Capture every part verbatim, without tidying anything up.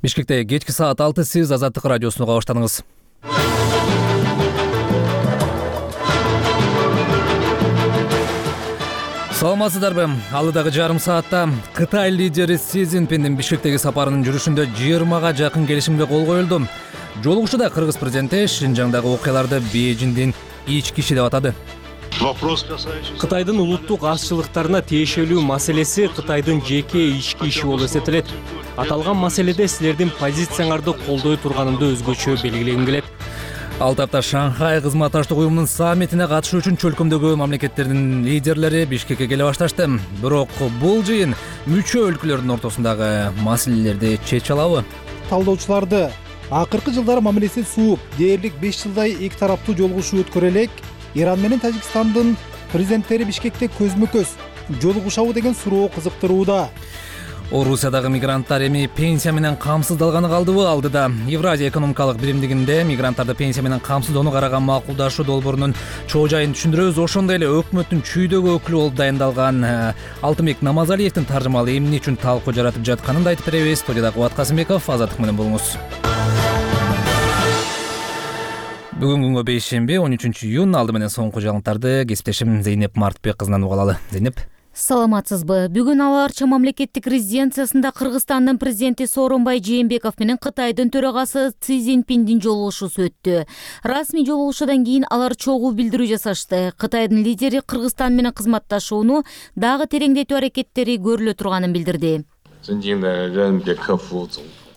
Бишкекте кечки саат алты, сиз Азаттык радиосуна уга баштадыңыз. Саламатсыздарбы? Алыдагы жарым саатта Кытай лидери Си Цзиньпиндин Бишкектеги сапарынын жүрүшүндө жыйырмага жакын келишимге кол коюлду. Жолугушууда кыргыз президенти Шинжаңдагы окуяларды Бейжиңдин ички иши деп атады. Кытайдын улуттук азчылыктарына тиешелүү маселеси Кытайдын жеке ички иши болуп эсептелет. Аталган маселеде силердин позицияңарды колдой турганымды өзгөчө белгилегим келет. Ал тапта Шанхай кызматташтык уюмунун саммитине катышуу үчүн чөлкөмдөгү мамлекеттердин лидерлери Бишкекке келе башташты. Бирок бул жыйын мүчө өлкөлөрдүн ортосундагы маселелерди чече алабы? Талдоочуларды акыркы жылдары мамилеси сууп, дээрлик беш жылдай эки тараптуу жолугушуу өткөрө элек Иран менен Тажикстандын президенттери Бишкекте көзмө-көз жолугушабы деген суроо кызыктырууда. Орусиядагы мигранттар эми пенсия менен камсыздалганы калдыбы? Алдыда Евразия экономикалык биримдигинде мигранттарды пенсия менен камсыздоону караган макулдашуу долбоорунун чоо жайын түшүндүрөбүз. Ошондой эле өкмөттүн чүйдөгү өкүлү болуп дайындалган Алтынбек Намазалиевдин таржымалы эмне үчүн талкуу жаратып жатканын да айтып беребиз. Студияда Кубат Касымбеков, Азаттык менен болуңуз. Бүгүн күнгө бейшемби, он үчүнчү июнь. Алды менен соңку жаңылыктарды кесиптешим Зейнеп Мартбек кызынан уга алалы. Зейнеп. Саламатсызбы? Бүгүн Ала Арча мамлекеттик резиденциясында Кыргызстандын президенти Сооронбай Жээнбеков менен Кытайдын төрагасы Си Цзиньпиндин жолугушуусу өттү. Расмий жолугушуудан кийин алар чогуу билдирүү жасашты. Кытайдын лидери Кыргызстан менен кызматташууну дагы тереңдетүү аракеттери көрүлө турганын билдирди.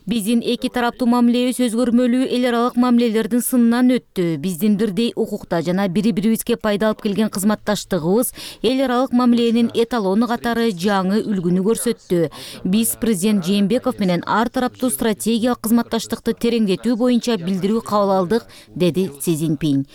Биздин эки тараптуу мамилебиз өзгөрмөлүү эл аралык мамилелердин сынынан өттү. Биздин бирдей укукта жана бири-бирибизге пайда алып келген кызматташтыгыбыз эл аралык мамиленин эталону катары жаңы үлгүнү көрсөттү. Биз президент Жээнбеков менен ар тараптуу стратегиялык кызматташтыкты тереңдетүү боюнча билдирүү кабыл алдык, деди Си Цзиньпин.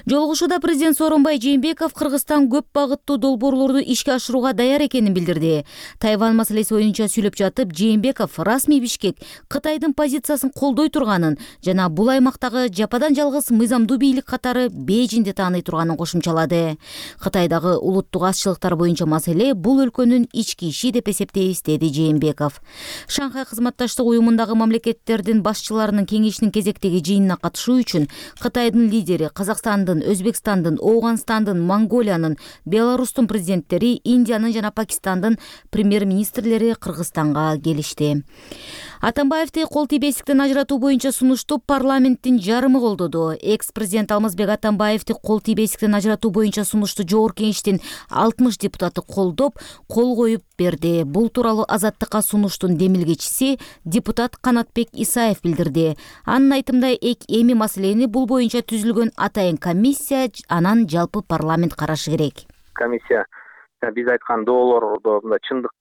Жолугушууда президент Сооронбай Жээнбеков Кыргызстан көп багыттуу долбоорлорду ишке ашырууга даяр экенин билдирди. Тайвань маселеси боюнча сүйлөп жатып, Жээнбеков расмий Бишкек Кытайдын позициясын колдой турганын жана бул аймактагы жападан жалгыз мыйзамдуу бийлик катары Бейжиңди тааный турганын кошумчалады. Кытайдагы улуттук азчылыктар боюнча маселе бул өлкөнүн ички иши деп эсептейбиз, деди Жээнбеков. Шанхай кызматташтык уюмундагы мамлекеттердин башчыларынын кеңешинин кезектеги жыйынына катышуу үчүн Кытайдын лидери Казакстандын, Өзбекстандын, Ооганстандын, Монголиянын, Беларустун президенттери, Индиянын жана Пакистандын премьер-министрлери Кыргызстанга келишти. Атамбаевди кол тийбестиктен ажыратуу боюнча сунушту парламенттин жарымы колдоду. Экс-президент Алмазбек Атамбаевди кол тийбестиктен ажыратуу боюнча сунушту Жогорку Кеңештин алтымыш депутаты колдоп, кол коюп берди. Бул тууралуу Азаттыкка сунуштун демилгечиси депутат Канатбек Исаев билдирди. Анын айтымында эми маселени бул боюнча түзүлгөн атайын комиссия анан жалпы парламент карашы керек. Комиссия биз айткан доолордо чындык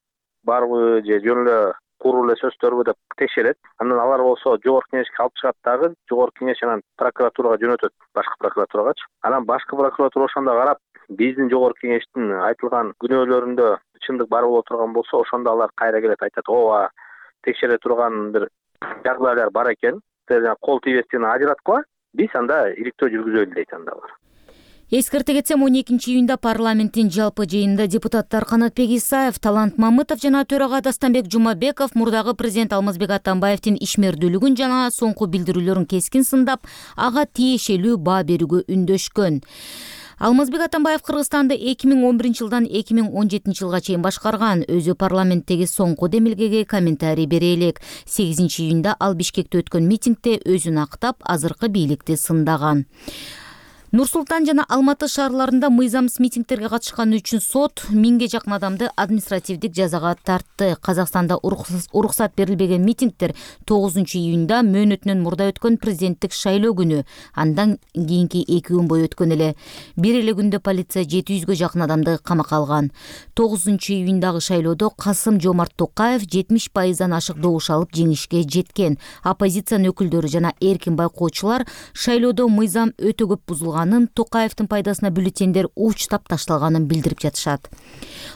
барбы же жөн эле куруу эле сөздөрбү деп текшерет. Андан алар болсо Жогорку Кеңешке алып чыгат дагы, Жогорку Кеңеш анан прокуратурага жөнөтөт, башкы прокуратурагачы. Анан башкы прокуратура ошондо карап, биздин Жогорку Кеңештин айтылган күнөөлөрүндө чындык бар боло турган болсо, ошондо алар кайра келет, айтат, ооба, текшере турган бир жагдайлар бар экен. Кол тийбестиктен ажыраткыла, биз анда иликтөө жүргүзөлү дейт анда алар. Эскерте кетсем, он экинчи июнда парламенттин жалпы жыйынында депутаттар Канатбек Исаев, Талант Мамытов жана төрага Дастанбек Жумабеков мурдагы президент Алмазбек Атамбаевдин ишмердүүлүгүн жана соңку билдирүүлөрүн кескин сындап, ага тиешелүү баа берүүгө үндөшкөн. Алмазбек Атамбаев Кыргызстанды эки миң он биринчи жылдан эки миң он жетинчи жылга чейин башкарган. Өзү парламенттеги соңку демилгеге комментарий бере элек. сегизинчи июнда ал Бишкекте өткөн митингде өзүн актап, азыркы бийликти сындаган. Нур-Султан жана Алматы шаарларында мыйзамсыз митингтерге катышканы үчүн сот миңге жакын адамды административдик жазага тартты. Казакстанда уруксат берилбеген митингтер тогузунчу июнда мөөнөтүнөн мурда өткөн президенттик шайлоо күнү, андан кийинки эки күн бою өткөн эле. Бир эле күндө полиция жети жүзгө жакын адамды камакка алган. тогузунчу июндагы шайлоодо Касым-Жомарт Токаев жетимиш пайыздан ашык добуш алып жеңишке жеткен. Оппозициянын өкүлдөрү жана эркин байкоочулар шайлоодо мыйзам өтө көп бузулган, Токаевдин пайдасына бюллетендер уучтап ташталганын билдирип жатышат.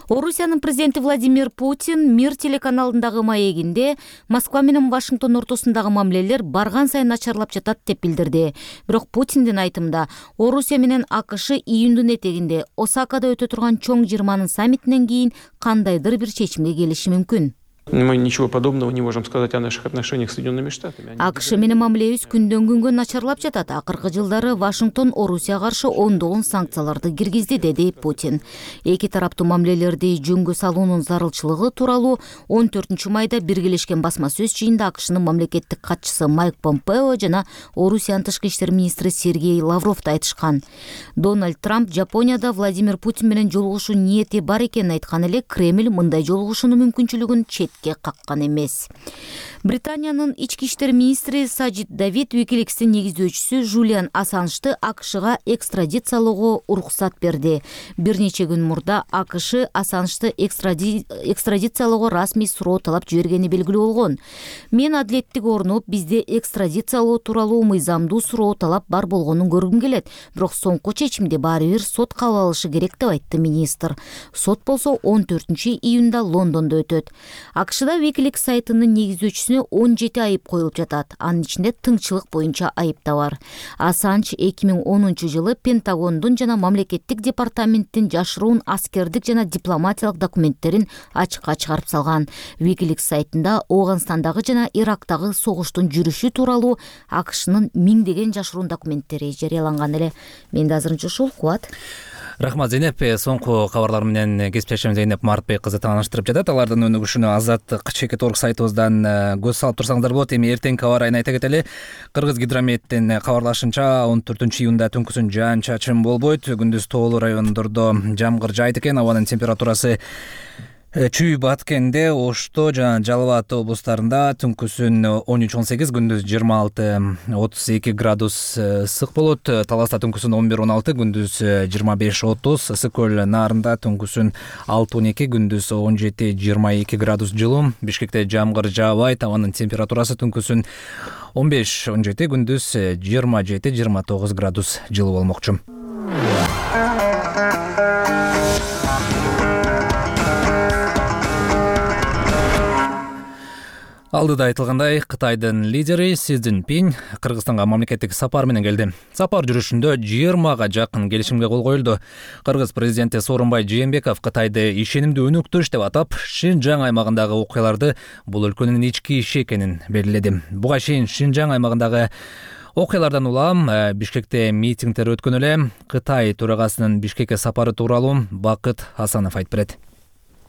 Орусиянын президенти Владимир Путин Мир телеканалындагы маегинде Москва менен Вашингтон ортосундагы мамилелер барган сайын начарлап жатат деп билдирди. Бирок Путиндин айтымында Орусия менен АКШ июндун этегинде Осакада өтө турган чоң жыйырманын саммитинен кийин кандайдыр бир чечимге келиши мүмкүн. Мы ничего подобного не можем сказать о наших отношениях с Соединенными Штатами. АКШ менен мамилебиз күндөн күнгө начарлап жатат. Акыркы жылдары Вашингтон Орусияга каршы ондогон санкцияларды киргизди, деди Путин. Эки тараптуу мамилелерди жөнгө салуунун зарылчылыгы тууралуу он төртүнчү майда биргелешкен басма сөз жыйында АКШнын мамлекеттик катчысы Майк Помпео жана Орусиянын тышкы иштер министри Сергей Лавров да айтышкан. Дональд Трамп Жапонияда Владимир Путин менен жолугушуу ниети бар экенин айткан эле Кремль мындай жолугушуунун мүмкүнчүлүгүн четке каккан эмес. Британиянын ички иштер министри Сажид Давид Wikileaks'тин негиздөөчүсү Жулиан Ассанжды АКШга экстрадициялоого уруксат берди. Бир нече күн мурда АКШ Ассанжды экстради... экстрадициялоого расмий суроо талап жибергени белгилүү болгон. Мен адилеттик орнуп, бизде экстрадициялоо тууралуу мыйзамдуу суроо талап бар болгонун көргүм келет. Бирок соңку чечимди баары бир сот кабыл алышы керек деп айтты министр. Сот болсо он төртүнчү июнда Лондондо өтөт. АКШда Wikileaks сайтынын негиздөөчүсүнө он жети айып коюлуп жатат. Анын ичинде тыңчылык боюнча айып да бар. Ассанж эки миң онунчу жылы Пентагондун жана мамлекеттик департаменттин жашыруун аскердик жана дипломатиялык документтерин ачыкка чыгарып салган. Wikileaks сайтында Ооганстандагы жана Ирактагы согуштун жүрүшү тууралуу АКШнын миңдеген жашыруун документтери жарыяланган эле. Менде азырынча ушул. Кубат. Рахмат, Зейнеп. Соңку кабарлар менен кесиптешим Зейнеп Мартбек кызы тааныштырып жатат. Алардын өнүгүшүнө Азаттык чекит орг сайтыбыздан көз салып турсаңыздар болот. Эми эртеңки аба ырайын айта кетели. Кыргыз гидрометтин кабарлашынча он төртүнчү июнда түнкүсүн жаан чачын болбойт. Күндүз тоолуу райондордо жамгыр жаайт экен. Абанын температурасы Чүй, Баткенде, Ошто жана Жалал Абад облустарында түнкүсүн он үч он сегиз, күндүз жыйырма алты отуз эки градус ысык болот. Таласта түнкүсүн он бир он алты, күндүз жыйырма беш отуз, Ысык көл наарында түнкүсүн алты он эки, күндүз он жети жыйырма эки градус жылуу. Бишкекте жамгыр жаабайт, абанын температурасы түнкүсүн он беш он жети, күндүз жыйырма жети жыйырма тогуз градус жылуу болмокчу. Алдыда айтылгандай, Кытайдын лидери Си Цзиньпин Кыргызстанга мамлекеттик сапар менен келди. Сапар жүрүшүндө жыйырмага жакын келишимге кол коюлду. Кыргыз президенти Сооронбай Жээнбеков Кытайды ишенимдүү өнөктөш деп атап, Шинжаң аймагындагы окуяларды бул өлкөнүн ички иши экенин белгиледи. Буга чейин Шинжаң аймагындагы окуялардан улам Бишкекте митингдер өткөн эле. Кытай төрагасынын Бишкекке сапары тууралуу Бакыт Асанов айтып берет.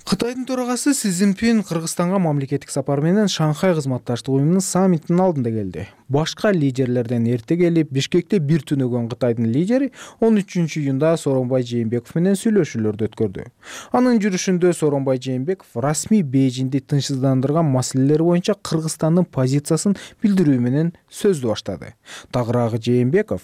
Кытайдын төрагасы Си Цзиньпин Кыргызстанга мамлекеттик сапар менен Шанхай кызматташтык уюмунун саммитинин алдында келди. Башка лидерлерден эрте келип, Бишкекте бир түнөгөн Кытайдын лидери он үчүнчү июнда Сооронбай Жээнбеков менен сүйлөшүүлөрдү өткөрдү. Анын жүрүшүндө Сооронбай Жээнбеков расмий Бейжиңди тынчсыздандырган маселелер боюнча Кыргызстандын позициясын билдирүү менен сөздү баштады. Тагыраагы Жээнбеков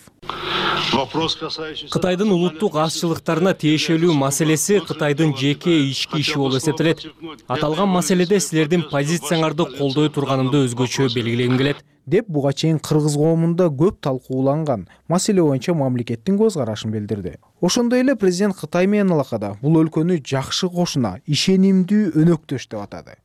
Кытайдын улуттук азчылыктарына тиешелүү маселеси Кытайдын жеке ички иши болуп эсептелет. Аталган маселеде силердин позицияңарды колдой турганымды өзгөчө белгилегим келет, деп буга чейин кыргыз коомунда көп талкууланган маселе боюнча мамлекеттин көз карашын билдирди. Ошондой эле президент Кытай менен алакада бул өлкөнү жакшы кошуна, ишенимдүү өнөктөш деп атады.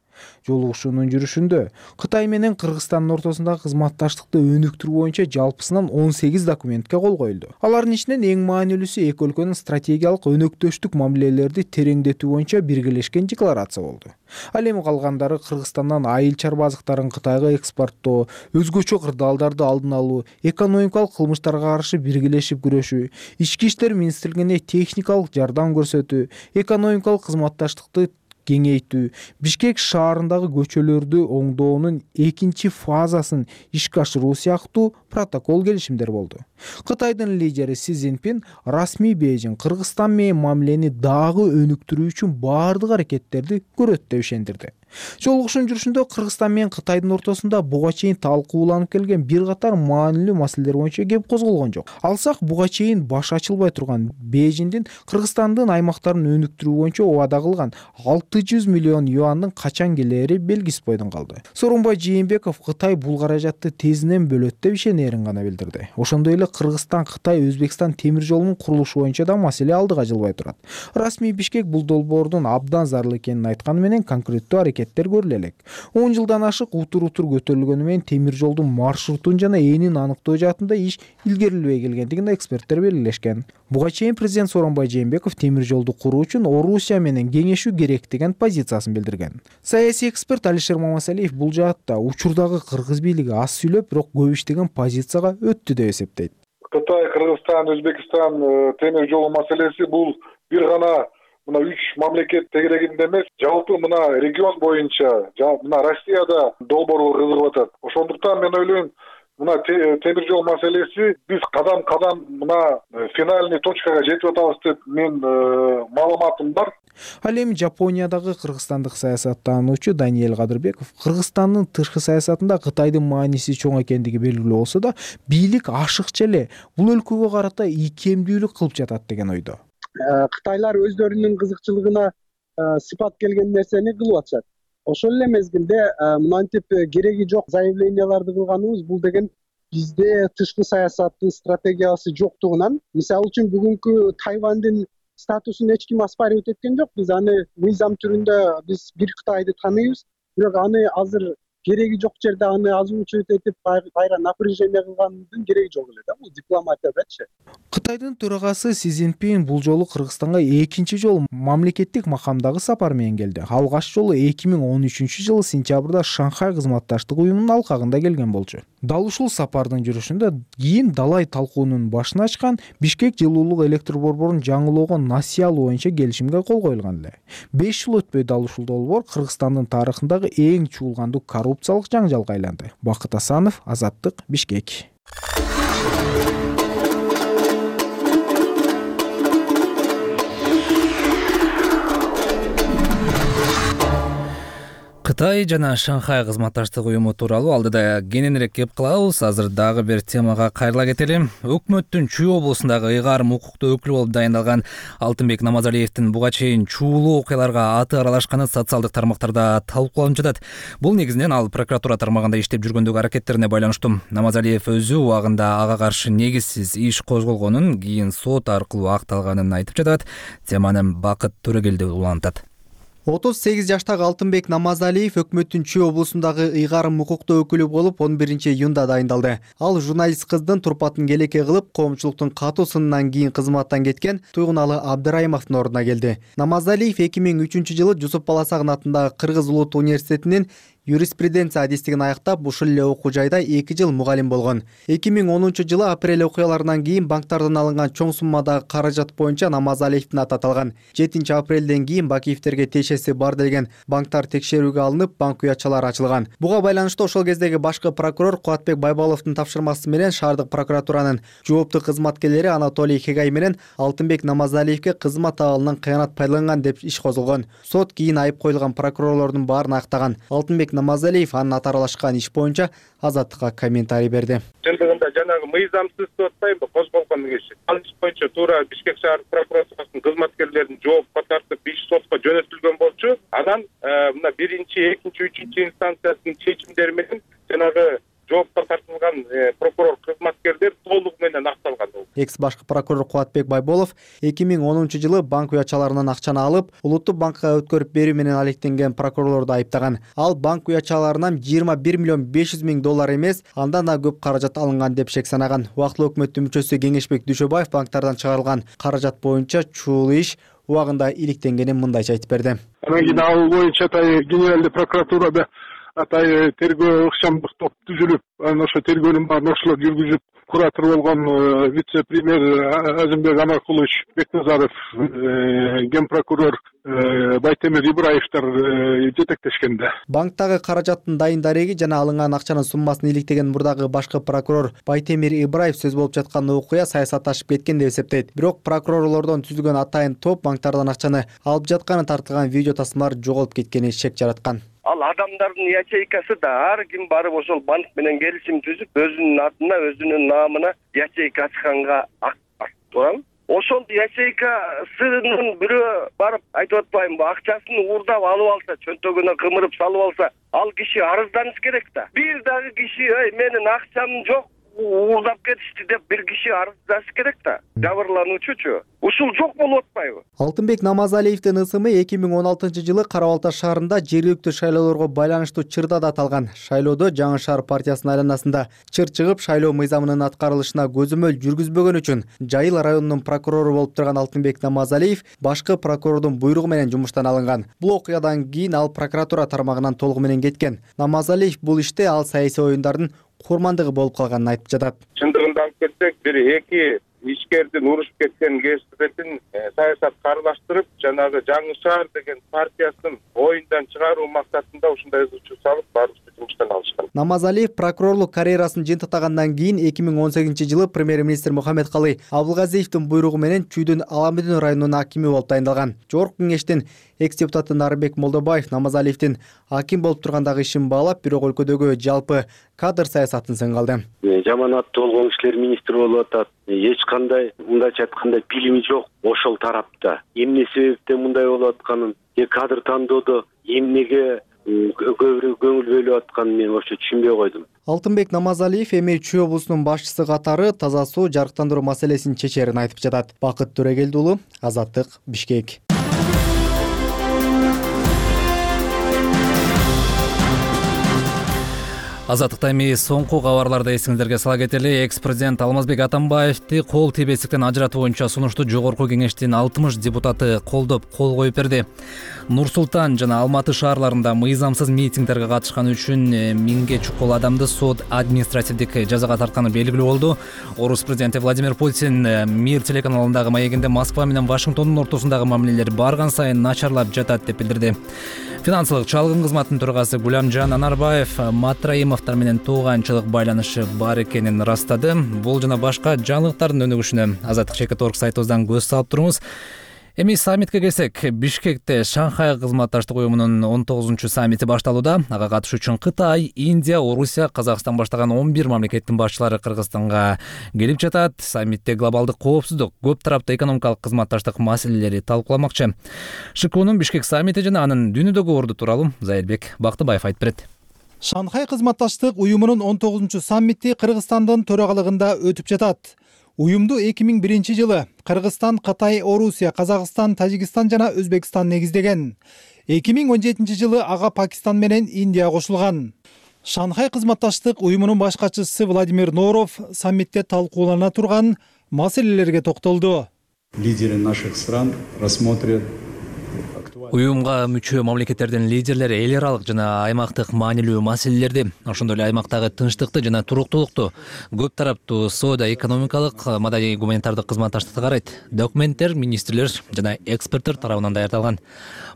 Жолугушуунун жүрүшүндө Кытай менен Кыргызстандын ортосундагы кызматташтыкты өнүктүрүү боюнча жалпысынан он сегиз документке кол коюлду. Алардын ичинен эң маанилүүсү эки өлкөнүн стратегиялык өнөктөштүк мамилелерди тереңдетүү боюнча биргелешкен декларация болду. Ал эми калгандары Кыргызстандан айыл чарба азыктарын Кытайга экспорттоо, өзгөчө кырдаалдарды алдын алуу, экономикалык кылмыштарга каршы биргелешип күрөшүү, ички иштер министрлигине техникалык жардам көрсөтүү, экономикалык кызматташтыкты кеңейтүү, Бишкек шаарындагы көчөлөрдү оңдоонун экинчи фазасын ишке ашыруу сыяктуу протокол келишимдер болду. Кытайдын лидери Си Цзиньпин расмий Бейжиң Кыргызстан менен мамилени дагы өнүктүрүү үчүн баардык аракеттерди көрөт деп ишендирди. Жолугушуунун жүрүшүндө Кыргызстан менен Кытайдын ортосунда буга чейин талкууланып келген бир катар маанилүү маселелер боюнча кеп козголгон жок. Алсак, буга чейин баш ачылбай турган Бейжиңдин Кыргызстандын аймактарын өнүктүрүү боюнча убада кылган алты жүз миллион юандын качан келери белгисиз бойдон калды. Сооронбай Жээнбеков Кытай бул каражатты тезинен бөлөт деп ишенерин гана билдирди. Ошондой эле Кыргызстан Кытай Өзбекстан темир жолунун курулушу боюнча да маселе алдыга жылбай турат. Расмий Бишкек бул долбоордун абдан зарыл экенин айтканы менен конкреттүү аракеттер көрүлө элек. он жылдан ашык утур-утур көтөрүлгөнү менен темир жолдун маршрутун жана энин аныктоо жаатында иш илгерилбей келгендигин эксперттер белгилешкен. Буга чейин президент Сооронбай Жээнбеков темир жолду куруу үчүн Орусия менен кеңешүү керек деген позициясын билдирген. Саясий эксперт Алишер Мамасалиев бул жаатта учурдагы кыргыз бийлиги аз сүйлөп, бирок көп иштеген позицияга өттү деп эсептейт. Кытай, Кыргызстан, Өзбекстан темир жолу маселеси бул бир гана мына үч мамлекет тегерегинде эмес, жалпы мына регион боюнча, мына Россияда долбоорго кызыгып атат. Ошондуктан мен ойлойм, мына темир жол маселеси биз кадам-кадам мына финальный точкага жетип атабыз деп мен маалыматым бар. Ал эми Жапониядагы кыргызстандык саясаттануучу Даниэль Кадырбеков Кыргызстандын тышкы саясатында Кытайдын мааниси чоң экендиги белгилүү болсо да, бийлик ашыкча эле бул өлкөгө карата ийкемдүүлүк кылып жатат деген ойдо. Кытайлар өздөрүнүн кызыкчылыгына сыпат келген нерсени кылып атышат. Ошол эле мезгилде мынтип кереги жок заявленияларды кылганыбыз бул деген бизде тышкы саясаттын стратегиясы жоктугунан, мисалы үчүн бүгүнкү Тайвандын статусун эч ким оспаривать эткен жок. Биз аны мыйзам түрүндө биз бир Кытайды тааныбыз, бирок аны азыр кереги жок жерде аны озвучивать этип кайра напряжение кылгандын кереги жок эле да, бул дипломатиядачы. Кытайдын төрагасы Си Цзиньпин бул жолу Кыргызстанга экинчи жолу мамлекеттик макамдагы сапар менен келди. Алгач жолу эки миң он үчүнчү жылы сентябрда Шанхай кызматташтык уюмунун алкагында келген болчу. Дал ушул сапардын жүрүшүндө кийин далай талкуунун башын ачкан Бишкек жылуулук электр борборун жаңылоого насыя алуу боюнча келишимге кол коюлган эле. беш жыл өтпөй дал ушул долбоор Кыргызстандын тарыхындагы эң чуулгандуу коррупциялык жаңжалга айланды. Бакыт Асанов, Азаттык, Бишкек. Кытай жана Шанхай кызматташтык уюму тууралуу алдыда кененирээк кеп кылабыз. Азыр дагы бир темага кайрыла кетели. Өкмөттүн Чүй облусундагы ыйгарым укуктуу өкүлү болуп дайындалган Алтынбек Намазалиевдин буга чейин чуулуу окуяларга аты аралашканы социалдык тармактарда талкууланып жатат. Бул негизинен ал прокуратура тармагында иштеп жүргөндөгү аракеттерине байланыштуу. Намазалиев өзү убагында ага каршы негизсиз иш козголгонун, кийин сот аркылуу акталганын айтып жатат. Теманы Бакыт Төрөгелди улантат. отуз сегиз жаштагы Алтынбек Намазалиев өкмөттүн Чүй облусундагы ыйгарым укуктуу өкүлү болуп он биринчи июнда дайындалды. Ал журналист кыздын турпатын келеке кылып, коомчулуктун катуу сынынан кийин кызматтан кеткен Туйгуналы Абдырайымовдун ордуна келди. Намазалиев эки миң үчүнчү жылы Жусуп Баласагын атындагы Кыргыз Улуттук университетинин юриспруденция адистигин аяктап, ушул эле окуу жайда эки жыл мугалим болгон. эки миң онунчу жылы апрель окуяларынан кийин банктардан алынган чоң суммадагы каражат боюнча Намазалиевдин аты аталган. жетинчи апрелден кийин Бакиевтерге тиешеси бар делген банктар текшерүүгө алынып, банк уячалары ачылган. Буга байланыштуу ошол кездеги башкы прокурор Кубатбек Байбаловдун тапшырмасы менен шаардык прокуратуранын жооптуу кызматкерлери Анатолий Хегай менен Алтынбек Намазалиевге кызмат абалынан кыянат пайдаланган деп иш козулгон. Сот кийин айып коюлган прокурорлордун баарын актаган. Алтынбек Намазалиев анын аты аралашкан иш боюнча Азаттыкка комментарий берди. Чындыгында жанагы мыйзамсыз деп атпайбы, козголгон иш. Ал иш боюнча туура Бишкек шаар прокуратурасынын кызматкерлерин жоопко тартып, иш сотко жөнөтүлгөн болчу. Анан мына биринчи, экинчи, үчүнчү инстанциясынын чечимдери менен жанагы жоопко тартылган прокурор кызматкерлер толугу менен акталган. Экс башкы прокурор Кубатбек Байболов эки миң онунчу жылы банк уячаларынан акчаны алып, улуттук банкка өткөрүп берүү менен алектенген прокурорлорду айыптаган. Ал банк уячаларынан жыйырма бир миллион беш жүз миң доллар эмес, андан да көп каражат алынган деп шек санаган. Убактылуу өкмөттүн мүчөсү Кеңешбек Дүйшөбаев банктардан чыгарылган каражат боюнча чуулуу иш убагында иликтенгенин мындайча айтып берди. Анан кийин ал боюнча атай генералдык прокуратурада атай тергөө ыкчамдык топ түзүлүп, анан ошо тергөөнүн баарын ошолор жүргүзүп, куратор болгон вице-премьер Азимбек Амаркулович Бекназаров, ген прокурор Байтемир Ибраевдер жетектешкенде. Банктагы каражаттын дайын дареги жана алынган акчанын суммасын иликтеген мурдагы башкы прокурор Байтемир Ибраев сөз болуп жаткан окуя саясатташып кеткен деп эсептейт. Бирок прокурорлордон түзүлгөн атайын топ банктардан акчаны алып жатканы тартылган видео тасмалар жоголуп кеткени шек жараткан. Ал адамдардын ячейкасы да ар ким барып ошол банк менен келишим түзүп, өзүнүн атына, өзүнүн наамына ячейка ачканга акт турам. Ошол ячейкасынын бирөө барып айтып атпаймынбы, акчасын уурдап алып алса, чөнтөгүнө кымырып салып алса, ал киши арызданыш керек да. Бир дагы киши, "Эй, менин акчам жок, уурдап кетишти деп бир киши арыздаш керек да, жабырлануучучу. Ушул жок болуп атпайбы? Алтынбек Намазалиевдин ысымы эки миң он алтынчы жылы Кара Балта шаарында жергиликтүү шайлоолорго байланыштуу чырдада аталган. Шайлоодо Жаңы шаар партиясынын айланасында чыр чыгып, шайлоо мыйзамынын аткарылышына көзөмөл жүргүзбөгөн үчүн Жайыл районунун прокурору болуп турган Алтынбек Намазалиев башкы прокурордун буйругу менен жумуштан алынган. Бул окуядан кийин ал прокуратура тармагынан толугу менен кеткен. Намазалиев бул иште ал саясий оюндардын курмандыгы болуп калганын айтып жатат. Чындыгында алып кетсек, бир эки ишкердин урушуп кеткен кесипетин саясат каралаштырып, жанагы Жаңы шаар деген партиясынын оюндан чыгаруу максатында ушундай ызычуу салып, баарыбызды жумуштан алышкан. Намазалиев прокурорлук карьерасын жыйынтыктагандан кийин эки миң он сегизинчи жылы премьер-министр Мухаммедкалый Абылгазиевдин буйругу менен Чүйдүн Аламүдүн районунун акими болуп дайындалган. Жогорку кеңештин экс-депутаты Нарбек Молдобаев Намазалиевдин аким болуп тургандагы ишин баалап, бирок өлкөдөгү жалпы кадр саясатын сынга алды. Жаман аттуу болгон кишилер министр болуп атат. Эч кандай мындайча айтканда билими жок ошол тарапта. Эмне себептен мындай болуп атканын, же кадр тандоодо эмнеге көбүрөөк көңүл бөлүп атканын мен вообще түшүнбөй койдум. Алтынбек Намазалиев эми Чүй облусунун башчысы катары таза суу, жарыктандыруу маселесин чечерин айтып жатат. Бакыт Төрөгелди уулу, Азаттык, Бишкек. Азаттыкта эми соңку кабарларды эсиңиздерге сала кетели. Экс-президент Алмазбек Атамбаевди кол тийбестиктен ажыратуу боюнча сунушту Жогорку кеңештин алтымыш депутаты колдоп кол коюп берди. Нур Султан жана Алматы шаарларында мыйзамсыз митингдерге катышкан үчүн миңге чукул адамды сот административдик жазага тартканы белгилүү болду. Орус президенти Владимир Путин Мир телеканалындагы маегинде Москва менен Вашингтондун ортосундагы мамилелер барган сайын начарлап жатат деп билдирди. Финансылык чалгын кызматынын төрагасы Гуламжан Анарбаев Матраимовдор менен тууганчылык байланышы бар экенин ырастады. Бул жана башка жаңылыктардын өнүгүшүнө Азаттык чекит орг сайтыбыздан көз салып турубуз. Эми саммитке келсек, Бишкекте Шанхай кызматташтык уюмунун он тогузунчу саммити башталууда. Ага катышуу үчүн Кытай, Индия, Орусия, Казакстан баштаган он бир мамлекеттин башчылары Кыргызстанга келип жатат. Саммитте глобалдык коопсуздук, көп тараптуу экономикалык кызматташтык маселелери талкууламакчы. ШКУнун Бишкек саммити жана анын дүйнөдөгү орду тууралуу Зайырбек Бактыбаев айтып берет. Шанхай кызматташтык уюмунун он тогузунчу саммити Кыргызстандын төрагалыгында өтүп жатат. Уюмду эки миң биринчи жылы Кыргызстан, Кытай, Орусия, Казакстан, Тажикстан жана Өзбекстан негиздеген. эки миң он жетинчи жылы ага Пакистан менен Индия кошулган. Шанхай кызматташтык уюмунун баш катчысы Владимир Норов саммитте талкуулана турган маселелерге токтолду. Лидеры наших стран рассмотрят Уюмга мүчө мамлекеттердин лидерлери эл аралык жана аймактык маанилүү маселелерди, ошондой эле аймактагы тынчтыкты жана туруктуулукту, көп тараптуу соода, экономикалык, маданий гуманитардык кызматташтыкты карайт. Документтер министрлер жана эксперттер тарабынан даярдалган.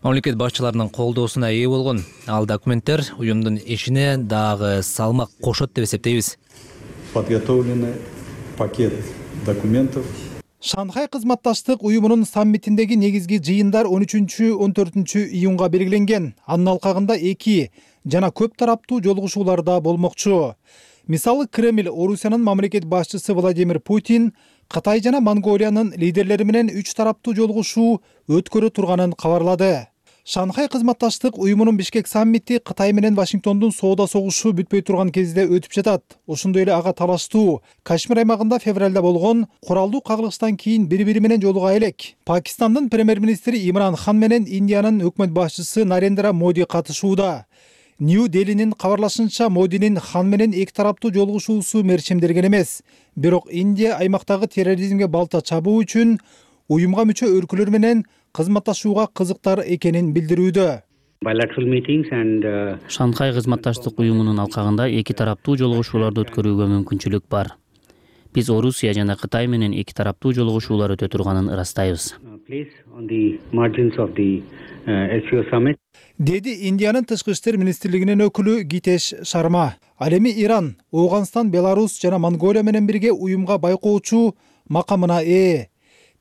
Мамлекет башчыларынын колдоосуна ээ болгон ал документтер уюмдун ишине дагы салмак кошот деп эсептейбиз. Подготовлены пакет документов. Шанхай кызматташтык уюмунун саммитиндеги негизги жыйындар он үчүнчү он төртүнчү июнга белгиленген. Анын алкагында эки жана көп тараптуу жолугушуулар да болмокчу. Мисалы, Кремль Орусиянын мамлекет башчысы Владимир Путин Кытай жана Монголиянын лидерлери менен үч тараптуу жолугушуу өткөрө турганын кабарлады. Шанхай кызматташтык уюмунун Бишкек саммити Кытай менен Вашингтондун соода согушу бүтпөй турган кезде өтүп жатат. Ошондой эле ага талаштуу Кашмир аймагында февралда болгон куралдуу кагылыштан кийин бири-бири менен жолуга элек. Пакистандын премьер-министри Имран Хан менен Индиянын өкмөт башчысы Нарендра Моди катышууда. Нью-Делинин кабарлашынча, Модинин Хан менен эки тараптуу жолугушуусу мерчемдерген эмес. Бирок Индия аймактагы терроризмге балта чабуу үчүн уюмга мүчө өлкөлөр менен кызматташууга кызыктар экенин билдирүүдө. Шанхай кызматташтык уюмунун алкагында эки тараптуу жолугушууларды өткөрүүгө мүмкүнчүлүк бар. Биз Орусия жана Кытай менен эки тараптуу жолугушуулар өтө турганын ырастайбыз. Деди Индиянын тышкы иштер министрлигинин өкүлү Гитеш Шарма. Ал эми Иран, Ооганстан, Беларусь жана Монголия менен бирге уюмга байкоочу макамына ээ.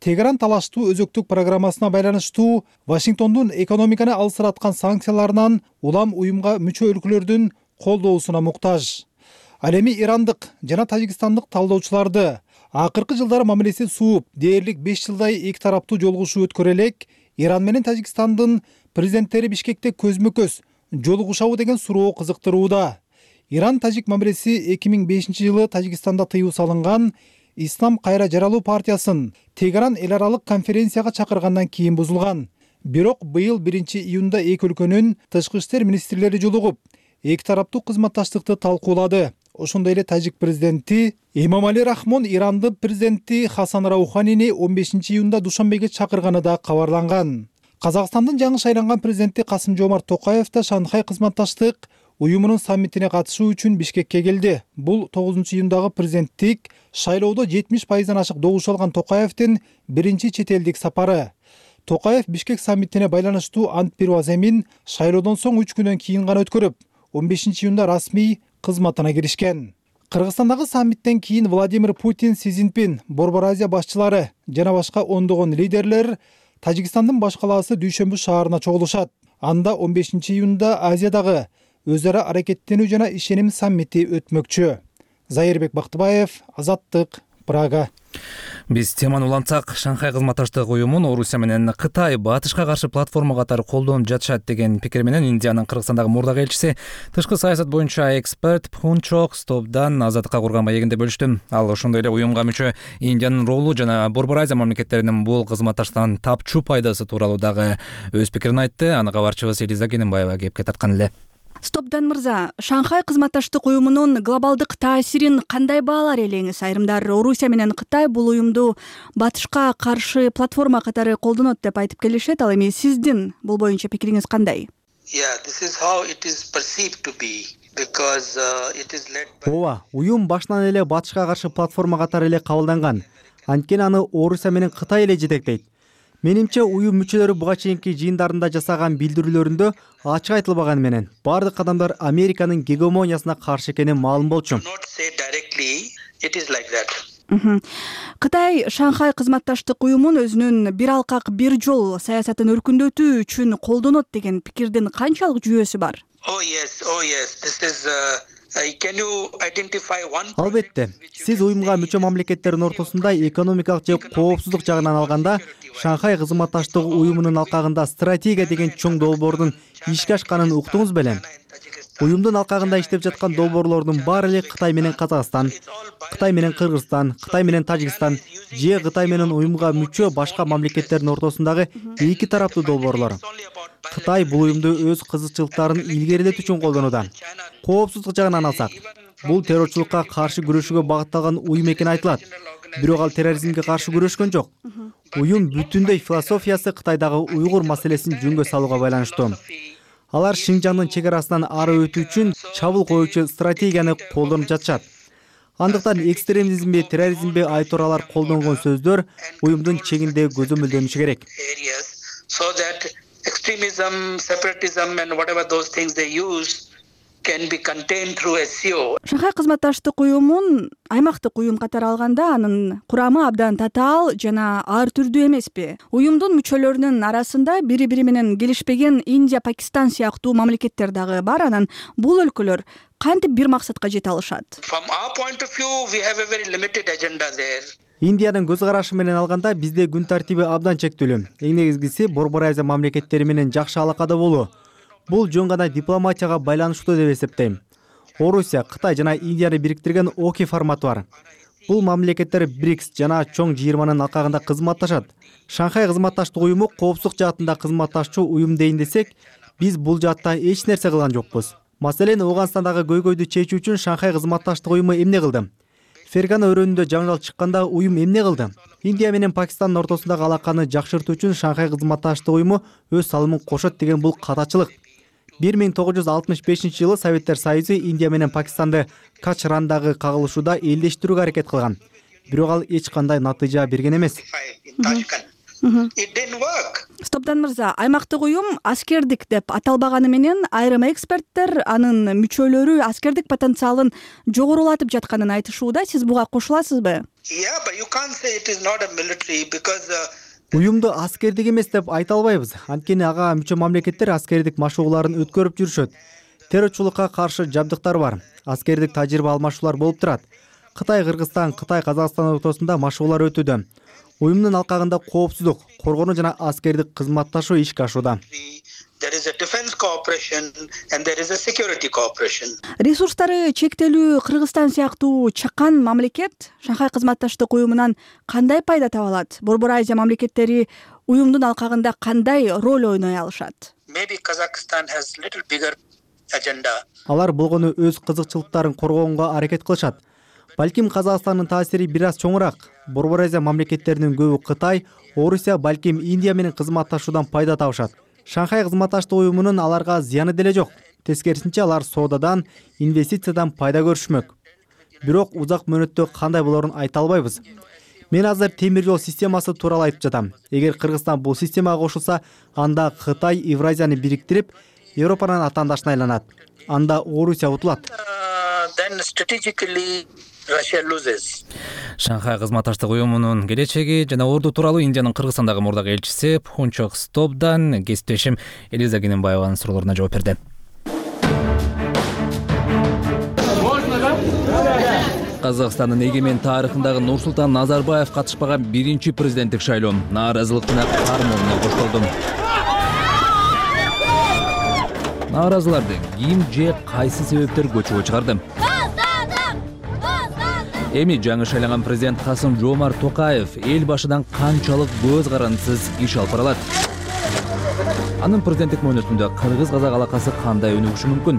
Тегеран талаштуу өзөктүк программасына байланыштуу Вашингтондун экономиканы алсыраткан санкцияларынан улам уюмга мүчө өлкөлөрдүн колдоосуна муктаж. Ал эми ирандык жана тажикстандык талдоочуларды акыркы жылдары мамилеси сууп, дээрлик беш жылдай эки тараптуу жолугушуу өткөрө элек Иран менен Тажикстандын президенттери Бишкекте көзмө-көз жолугушабы деген суроо кызыктырууда. Иран-тажик мамилеси эки миң бешинчи жылы Тажикстанда тыюу салынган Ислам кайра жаралуу партиясын Тегеран эл аралык конференцияга чакыргандан кийин бузулган. Бирок быйыл биринчи июнда эки өлкөнүн тышкы иштер министрлери жолугуп, эки тараптуу кызматташтыкты талкуулады. Ошондой эле тажик президенти Эмомали Рахмон Ирандын президенти Хасан Рауханини он бешинчи июнда Душанбеге чакырганы да кабарланган. Казакстандын жаңы шайланган президенти Касым-Жомарт Токаев да Шанхай кызматташтык уюмунун саммитине катышуу үчүн Бишкекке келди. Бул тогузунчу июндагы президенттик шайлоодо жетимиш пайыздан ашык добуш алган Токаевдин биринчи чет элдик сапары. Токаев Бишкек саммитине байланыштуу ант берүү аземин шайлоодон соң үч күндөн кийин гана өткөрүп, он бешинчи июнда расмий кызматына киришкен. Кыргызстандагы саммиттен кийин Владимир Путин, Си Цзиньпин, Борбор Азия башчылары жана башка ондогон лидерлер Тажикстандын баш калаасы Дүйшөмбү шаарына чогулушат. Анда он бешинчи июнда Азиядагы өз ара аракеттенүү жана ишеним саммити өтмөкчү. Зайырбек Бактыбаев, Азаттык, Прага. Биз теманы улантсак, Шанхай кызматташтык уюмун Орусия менен Кытай батышка каршы платформа катары колдонуп жатышат деген пикир менен Индиянын Кыргызстандагы мурдагы элчиси, тышкы саясат боюнча эксперт Пхунчок Стопдан Азаттыкка курган маегинде бөлүштү. Ал ошондой эле уюмга мүчө Индиянын ролу жана Борбор Азия мамлекеттеринин бул кызматташтыктан тапчу пайдасы тууралуу дагы өз пикирин айтты. Аны кабарчыбыз Элиза Кененбаева кепке тарткан эле. Стопдан мырза, Шанхай кызматташтык уюмунун глобалдык таасирин кандай баалар элеңиз? Айрымдар Орусия менен Кытай бул уюмду батышка каршы платформа катары колдонот деп айтып келишет. Ал эми сиздин бул боюнча пикириңиз кандай? Ооба, уюм башынан эле батышка каршы платформа катары эле кабылданган. Анткени аны Орусия менен Кытай эле жетектейт. Менимче уюм мүчөлөрү буга чейинки жыйындарында жасаган билдирүүлөрүндө ачык айтылбаганы менен бардык кадамдар Американын гегемониясына каршы экени маалым болчу. Кытай Шанхай кызматташтык уюмун өзүнүн бир алкак бир жол саясатын өркүндөтүү үчүн колдонот деген пикирдин канчалык жүйөсү бар? Албетте, сиз уюмга мүчө мамлекеттердин ортосунда экономикалык же коопсуздук жагынан алганда Шанхай кызматташтык уюмунун алкагында стратегия деген чоң долбоордун ишке ашканын уктуңуз белем. Уюмдун алкагында иштеп жаткан долбоорлордун баары эле Кытай менен Казакстан, Кытай менен Кыргызстан, Кытай менен Тажикстан же Кытай менен уюмга мүчө башка мамлекеттердин ортосундагы эки тараптуу долбоорлор. Кытай бул уюмду өз кызыкчылыктарын илгерилетүү үчүн колдонууда. Коопсуздук жагынан алсак, бул террорчулукка каршы күрөшүүгө багытталган уюм экени айтылат. Бирок ал терроризмге каршы күрөшкөн жок. Уюм бүтүндөй философиясы Кытайдагы уйгур маселесин жөнгө салууга байланыштуу. Алар Шинжаңдын чек арасынан ары өтүү үчүн чабуул коюучу стратегияны колдонуп жатышат. Андыктан экстремизмби, терроризмби айтууралар колдонгон сөздөр уюмдун чегинде көзөмөлдөнүшү керек. Extremism, separatism and whatever those things they use can be contained through S C O. Шанхай кызматташтык уюмун аймактык уюм катары алганда анын курамы абдан татаал жана ар түрдүү эмеспи? Уюмдун мүчөлөрүнүн арасында бири-бири менен келишпеген Индия, Пакистан сыяктуу мамлекеттер дагы бар. Анан бул өлкөлөр кантип бир максатка жете алышат? From our point of view, we have a very limited agenda there. Индиянын көз карашы менен алганда бизде күн тартиби абдан чектелүү. Эң негизгиси Борбор Азия мамлекеттери менен жакшы алакада болуу. Бул жөн гана дипломатияга байланыштуу деп эсептейм. Орусия, Кытай жана Индияны бириктирген ОКИ форматы бар. Бул мамлекеттер БРИКС жана чоң жыйырманын алкагында кызматташат. Шанхай кызматташтык уюму коопсуздук жаатында кызматташчу уюм дейин десек, биз бул жаатта эч нерсе кылган жокпуз. Маселен, Ооганстандагы көйгөйдү чечүү үчүн Шанхай кызматташтык уюму эмне кылды? Фергана өрөөнүндө жаңжал чыкканда уюм эмне кылды? Индия менен Пакистандын ортосундагы алаканы жакшыртуу үчүн Шанхай кызматташтык уюму өз салымын кошот деген бул катачылык. бир миң тогуз жүз алтымыш бешинчи жылы Советтер Союзу Индия менен Пакистанды Качрандагы кагылышууда элдештирүүгө аракет кылган. Бирок ал эч кандай натыйжа берген эмес. Стопдан мырза, аймактык уюм аскердик деп аталбаганы менен айрым эксперттер анын мүчөлөрү аскердик потенциалын жогорулатып жатканын айтышууда. Сиз буга кошуласызбы? Уюмду аскердик эмес деп айта албайбыз. Анткени ага мүчө мамлекеттер аскердик машыгууларын өткөрүп жүрүшөт. Террорчулукка каршы жабдыктар бар. Аскердик тажрыйба алмашуулар болуп турат. Кытай, Кыргызстан, Кытай, Казакстан ортосунда машыгуулар өтүүдө. Уюмдун алкагында коопсуздук, коргонуу жана аскердик кызматташуу ишке ашууда. There is a defense cooperation and there is a security cooperation. Ресурстары чектелүү Кыргызстан сыяктуу чакан мамлекет Шанхай кызматташтык уюмунан кандай пайда таба алат? Борбор Азия мамлекеттери уюмдун алкагында кандай роль ойной алышат? Maybe Kazakhstan has little bigger agenda. Алар болгону өз кызыкчылыктарын коргоонго аракет кылышат. Балким Казакстандын таасири бир аз чоңураак. Борбор Азия мамлекеттеринин көбү Кытай, Орусия, балким Индия менен кызматташуудан пайда табышат. Шанхай кызматташтык уюмунун аларга зыяны деле жок. Тескерисинче алар соодадан, инвестициядан пайда көрүшмөк. Бирок узак мөөнөттө кандай болорун айта албайбыз. Мен азыр темир жол системасы тууралуу айтып жатам. Эгер Кыргызстан бул системага кошулса, анда Кытай Евразияны бириктирип, Европанын атаандашына айланат. Анда Орусия утулат. Then strategically Russia loses. Шанхай кызматташтык уюмунун келечеги жана орду тууралуу Индиянын Кыргызстандагы мурдагы элчиси Пхунчок Стопдан кесиптешим Элиза Кененбаеванын суроолоруна жооп берди. Казакстандын эгемен тарыхындагы Нурсултан Назарбаев катышпаган биринчи президенттик шайлоо нааразылыктын кармоонуна коштолду. Нааразыларды ким же кайсы себептер көчүгө чыгарды? Эми жаңы шайланган президент Касым Жомарт Токаев эл башыдан канчалык көз карандысыз иш алып бара алат? Анын президенттик мөөнөтүндө кыргыз-казак алакасы кандай өнүгүшү мүмкүн?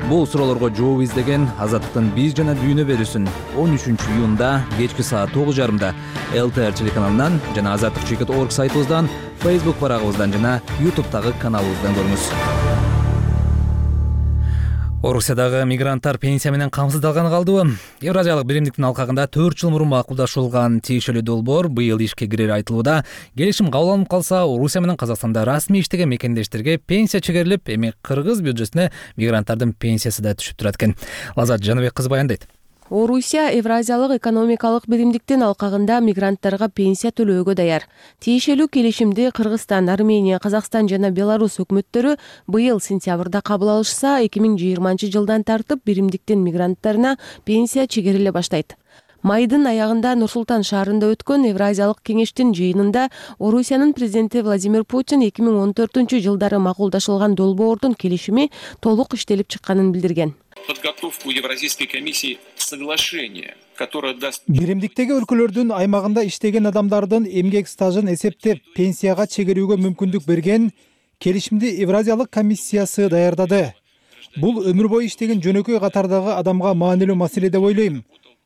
Бул суроолорго жооп издеген Азаттыктын биз жана дүйнө берүүсүн он үчүнчү июнда кечки саат тогуз жарымда эл тэ эр телеканалынан жана азаттык чекит точка орг сайтыбыздан, Facebook барагыбыздан жана YouTube'дагы каналыбыздан көрүңүз. Орусиядагы мигранттар пенсия менен камсыздалганы калдыбы? Евразиялык биримдиктин алкагында төрт жыл мурун макулдашылган тиешелүү долбоор быйыл ишке кирери айтылууда. Келишим кабыл алынып калса, Орусия менен Казакстанда расмий иштеген мекендештерге пенсия чегерилип, эми кыргыз бюджетине мигранттардын пенсиясы да түшүп турат экен. Лазат Жаныбек кызы баяндайт. Орусия Евразиялык экономикалык биримдиктин алкагында мигранттарга пенсия төлөөгө даяр. Тиешелүү келишимди Кыргызстан, Армения, Казакстан жана Беларусь өкмөттөрү быйыл сентябрда кабыл алышса, эки миң жыйырманчы жылдан тартып биримдиктин мигранттарына пенсия чегериле баштайт. Майдын аягында Нур-Султан шаарында өткөн Евразиялык кеңештин жыйынында Орусиянын президенти Владимир Путин эки миң он төртүнчү жылдары макулдашылган долбоордун келишими толук иштелип чыкканын билдирген. Подготовку Евразийской комиссии соглашения, которое даст... Биримдиктеги өлкөлөрдүн аймагында иштеген адамдардын эмгек стажын эсептеп пенсияга чегерүүгө мүмкүндүк берген келишимди Евразиялык комиссиясы даярдады. Бул өмүр бою иштеген жөнөкөй катардагы адамга маанилүү маселе деп ойлойм.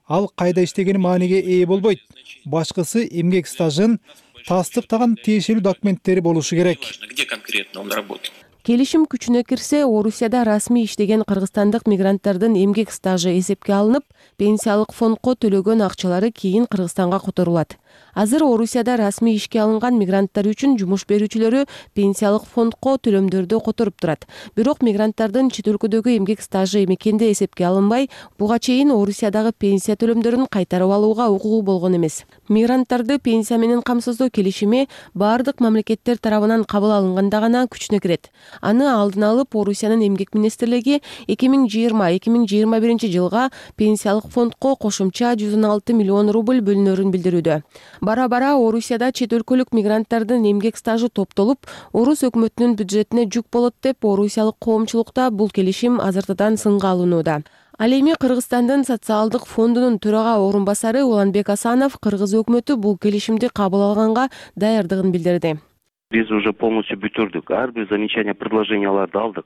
Ал кайда иштегени мааниге ээ болбойт. Башкысы эмгек стажын тастыктаган тиешелүү документтери болушу керек. Где конкретно он работает? Келишим күчүнө кирсе, Орусияда расмий иштеген кыргызстандык мигранттардын эмгек стажы эсепке алынып, пенсиялык фондко төлөгөн акчалары кийин Кыргызстанга которулат. Азыр Орусияда расмий ишке алынган мигранттар үчүн жумуш берүүчүлөрү пенсиялык фондко төлөмдөрдү которуп турат. Бирок мигранттардын чет өлкөдөгү эмгек стажы мекенде эсепке алынбай, буга чейин Орусиядагы пенсия төлөмдөрүн кайтарып алууга укугу болгон эмес. Мигранттарды пенсия менен камсыздоо келишими бардык мамлекеттер тарабынан кабыл алынганда гана күчүнө кирет. Аны алдын алып Орусиянын эмгек министрлиги эки миң жыйырма эки миң жыйырма биринчи жылга пенсиялык фондко кошумча жүз он алты миллион рубль бөлүнөрүн билдирүүдө. Бара-бара Орусияда чет өлкөлүк мигранттардын эмгек стажы топтолуп, Орус өкмөтүнүн бюджетине жүк болот деп орусиялык коомчулукта бул келишим азыртадан сынга алынууда. Ал эми Кыргызстандын социалдык фондунун төрага орун басары Уланбек Асанов Кыргыз өкмөтү бул келишимди кабыл алганга даярдыгын билдирди. Биз уже полностью бүтүрдүк. Ар бир замечание, предложенияларды алдык.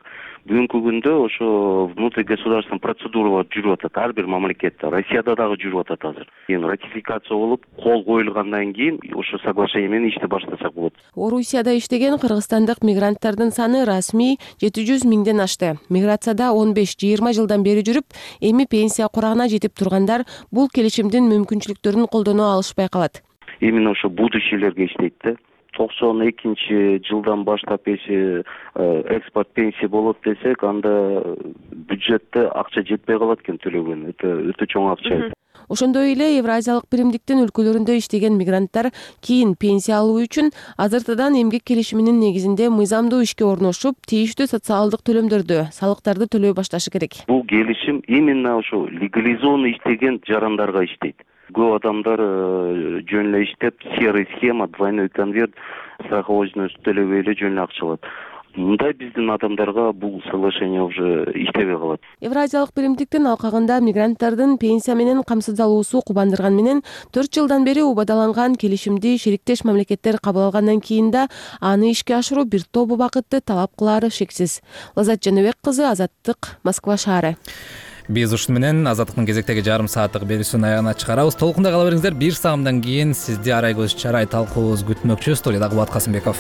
Бүгүнкү күндө ошо внутригосударственный процедуралар жүрүп атат. Ар бир мамлекетте, Россияда дагы жүрүп атат азыр. Эми ратификация болуп, кол коюлгандан кийин ошо соглашение менен ишти баштасак болот. Орусияда иштеген кыргызстандык мигранттардын саны расмий жети жүз миңден ашты. Миграцияда он беш жыйырма жылдан бери жүрүп, эми пенсия курагына жетип тургандар бул келишимдин мүмкүнчүлүктөрүн колдоно алышпай калат. Именно ошо будущийлерге иштейт да. токсон экинчи жылдан баштап эси экспорт пенсия болот десек, анда бюджетте акча жетпей калат экен төлөгөн. Это өтө чоң акча. Ошондой эле Евразиялык биримдиктин өлкөлөрүндө иштеген мигранттар кийин пенсия алуу үчүн азыртадан эмгек келишиминин негизинде мыйзамдуу ишке орношуп, тийиштүү социалдык төлөмдөрдү, салыктарды төлөй башташы керек. Бул келишим именно ошо легализованный иштеген жарандарга иштейт. Көп адамдар жөн эле иштеп, серый схема, двойной конверт, страховочный төлөбөй эле жөн эле акча алат. мындай биздин адамдарга бул соглашение уже иштебей калат. Евразиялык биримдиктин алкагында мигранттардын пенсия менен камсыздалуусу кубандырган менен төрт жылдан бери убадаланган келишимди шериктеш мамлекеттер кабыл алгандан кийин да аны ишке ашыруу бир топ убакытты талап кылаары шексиз. Лазат Жаныбек кызы, Азаттык, Москва шаары. Биз ушуну менен Азаттыктын кезектеги жарым сааттык берүүсүнүн аягына чыгарабыз. Толкунда кала бериңиздер. Бир саамдан кийин сизди Арай көз чарай талкуубуз күтмөкчү. Студияда Кубат Касымбеков.